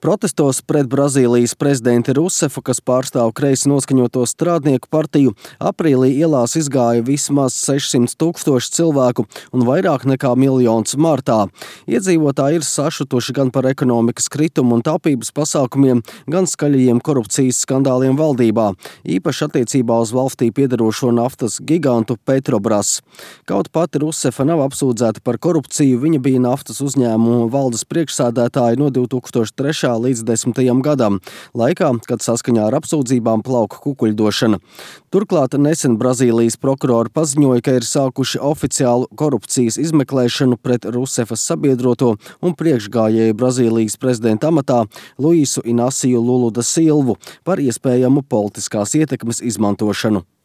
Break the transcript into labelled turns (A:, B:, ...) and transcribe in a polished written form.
A: Protestos pret Brazīlijas prezidenti Rusefu, kas pārstāv kreisi noskaņoto strādnieku partiju, aprīlī ielās izgāja vismaz 600 000 cilvēku un vairāk nekā miljons martā. Iedzīvotāji ir sašutuši gan par ekonomikas kritumu un taupības pasākumiem, gan skaļajiem korupcijas skandāliem valdībā, īpaši attiecībā uz valstī piederošo naftas gigantu Petrobras. Kaut pati Rusefa nav apsūdzēta par korupciju, viņa bija naftas uzņēmumu valdes priekšsēdētāja no 2003. Līdz 10. gadam, laikā, kad saskaņā ar apsūdzībām plauka kukuļdošana. Turklāt nesen Brazīlijas prokurori paziņoja, ka ir sākuši oficiālu korupcijas izmeklēšanu pret Rusefas sabiedroto un priekšgājēju Brazīlijas prezidenta amatā Luisu Inasiju Lulu da Silvu par iespējamu politiskās ietekmes izmantošanu.